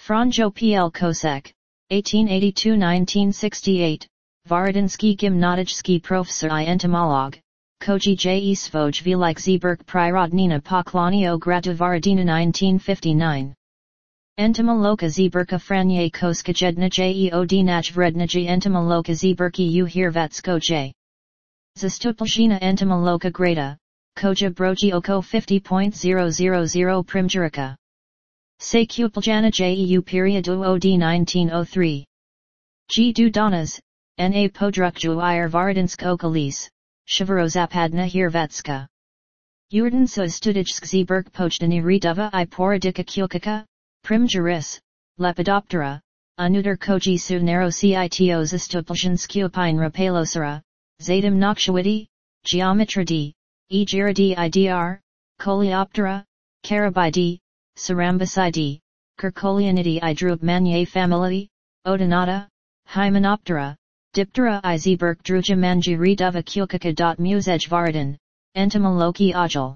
Franjo P.L. Kosek, 1882-1968, Varadinsky Gymnasiejski Professor I Entomolog, Koji J. Svoj Velik Zberk Prirodnina Poklonio Gradu Varadina 1959. Entomoloka Zberka Franje Koskajedna Jeod Vredniji Entomoloka Zberki U Hirvatsko J. Zastupljina Entomoloka Grada, Koja Broji Oko 50.000 Primjerica. Sekupljana Jeu Periodu Od 1903. G. Dudanas, N.A. Podrukju Ir Varadinsk Okolis, Shivarozapadna Hirvatska. Urdansa Studijsk Zberk Pojdani Redova I Poradika Kulkaka, Primjeris, Lepidoptera, Anutar Koji Su Narocito Zastupljinskupine Rapalosara, Zadim Nokshawiti, Geometridae, Egiridae idr, Coleoptera, Carabidea, Cerambicidae, Kerkolianidae I Drub Manier family, Odonata, Hymenoptera, Diptera I Zberk Druja Manji Redova Kulkaka. Musej Varadin, Entomoloki Ajal.